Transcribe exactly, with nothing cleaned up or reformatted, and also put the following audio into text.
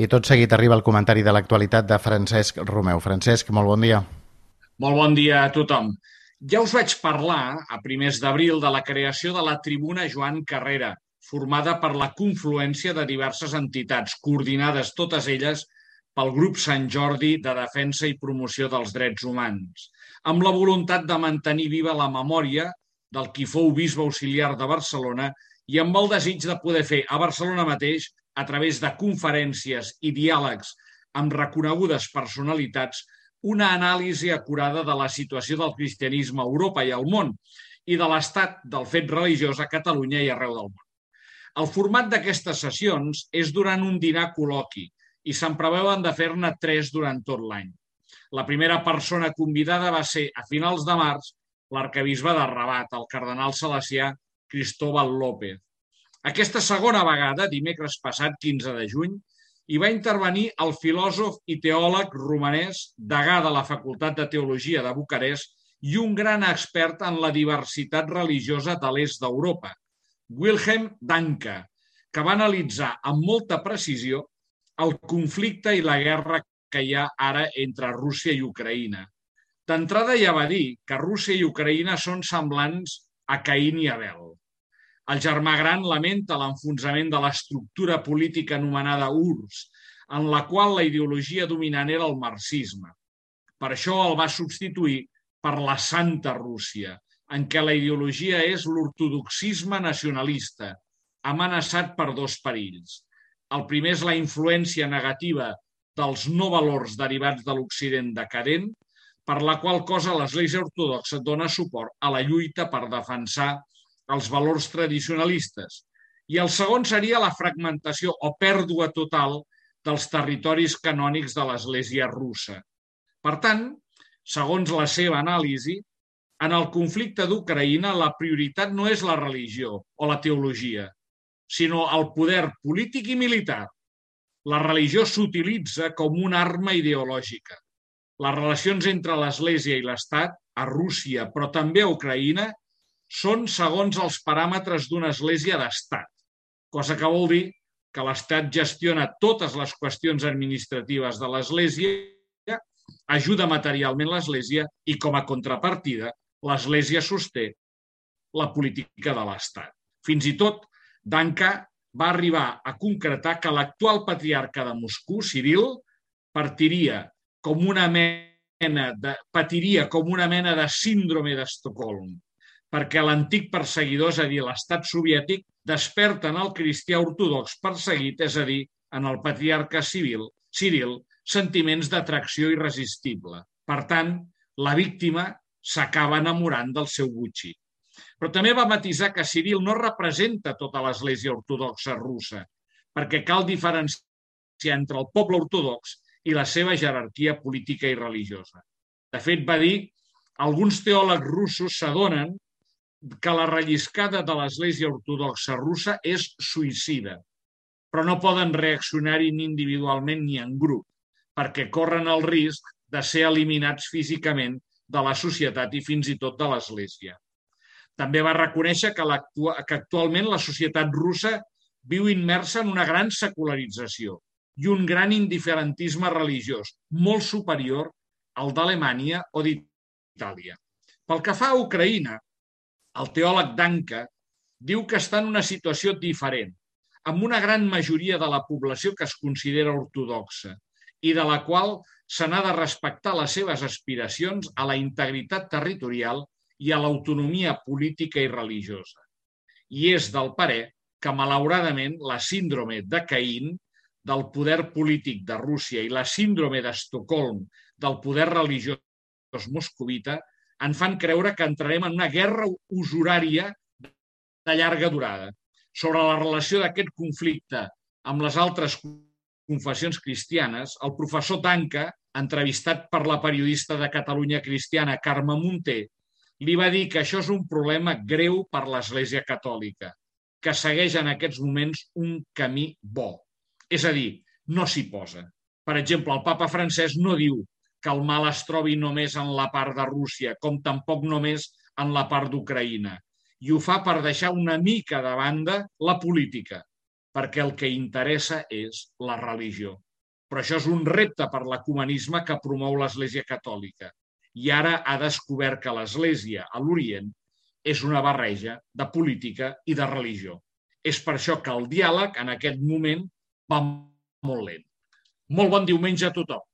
I tot seguit arriba el comentari de l'actualitat de Francesc Romeu. Francesc, molt bon dia. Molt bon dia a tothom. Ja us vaig parlar a primers d'abril de la creació de la Tribuna Joan Carrera, formada per la confluència de diverses entitats, coordinades totes elles pel Grup Sant Jordi de Defensa i Promoció dels Drets Humans, amb la voluntat de mantenir viva la memòria del qui fou bisbe auxiliar de Barcelona i amb el desig de poder fer a Barcelona mateix, a través de conferències i diàlegs amb reconegudes personalitats, una anàlisi acurada de la situació del cristianisme a Europa i al món i de l'estat del fet religiós a Catalunya i arreu del món. El format d'aquestes sessions és durant un dinar col·loqui i se'n preveuen de fer-ne tres durant tot l'any. La primera persona convidada va ser, a finals de març, l'arquebisbe de Rabat, el cardenal salesià Cristóbal López. Aquesta segona vegada, dimecres passat, quinze de juny, hi va intervenir el filòsof i teòleg romanès, degà de la Facultat de Teologia de Bucarest i un gran expert en la diversitat religiosa de l'est d'Europa, Wilhelm Danke, que va analitzar amb molta precisió el conflicte i la guerra que hi ha ara entre Rússia i Ucraïna. D'entrada ja va dir que Rússia i Ucraïna són semblants a Caín i Abel. El germà gran lamenta l'enfonsament de l'estructura política anomenada U R S S, en la qual la ideologia dominant era el marxisme. Per això el va substituir per la Santa Rússia, en què la ideologia és l'ortodoxisme nacionalista, amenaçat per dos perills. El primer és la influència negativa dels no valors derivats de l'Occident decadent, per la qual cosa l'Església Ortodoxa dona suport a la lluita per defensar els valors tradicionalistes. I el segon seria la fragmentació o pèrdua total dels territoris canònics de l'Església russa. Per tant, segons la seva anàlisi, en el conflicte d'Ucraïna la prioritat no és la religió o la teologia, sinó el poder polític i militar. La religió s'utilitza com una arma ideològica. Les relacions entre l'Església i l'Estat, a Rússia, però també a Ucraïna, són segons els paràmetres d'una església d'estat, cosa que vol dir que l'estat gestiona totes les qüestions administratives de l'església, ajuda materialment l'església i, com a contrapartida, l'església sosté la política de l'estat. Fins i tot, Danke va arribar a concretar que l'actual patriarca de Moscou, Ciril, partiria com una mena de, patiria com una mena de síndrome d'Estocolm, perquè l'antic perseguidor, és a dir, l'estat soviètic, desperta en el cristià ortodox perseguit, és a dir, en el patriarca civil, Ciril, sentiments d'atracció irresistible. Per tant, la víctima s'acaba enamorant del seu botxí. Però també va matisar que Ciril no representa tota l'Església Ortodoxa russa, perquè cal diferenciar entre el poble ortodox i la seva jerarquia política i religiosa. De fet, va dir, alguns teòlegs russos s'adonen que la relliscada de l'Església Ortodoxa russa és suïcida, però no poden reaccionar-hi ni individualment ni en grup, perquè corren el risc de ser eliminats físicament de la societat i fins i tot de l'Església. També va reconèixer que, que actualment la societat russa viu immersa en una gran secularització i un gran indiferentisme religiós, molt superior al d'Alemanya o d'Itàlia. Pel que fa a Ucraïna, el teòleg Danke diu que està en una situació diferent, amb una gran majoria de la població que es considera ortodoxa i de la qual se n'ha de respectar les seves aspiracions a la integritat territorial i a l'autonomia política i religiosa. I és del parer que, malauradament, la síndrome de Caín del poder polític de Rússia i la síndrome d'Estocolm del poder religiós moscovita en fan creure que entrarem en una guerra usurària de llarga durada. Sobre la relació d'aquest conflicte amb les altres confessions cristianes, el professor Danke, entrevistat per la periodista de Catalunya Cristiana Carme Munté, li va dir que això és un problema greu per l'Església Catòlica, que segueix en aquests moments un camí bo. És a dir, no s'hi posa. Per exemple, el papa Francesc no diu que el mal es trobi només en la part de Rússia, com tampoc només en la part d'Ucraïna. I ho fa per deixar una mica de banda la política, perquè el que interessa és la religió. Però això és un repte per l'ecumenisme que promou l'Església Catòlica. I ara ha descobert que l'Església a l'Orient és una barreja de política i de religió. És per això que el diàleg en aquest moment va molt lent. Molt bon diumenge a tothom.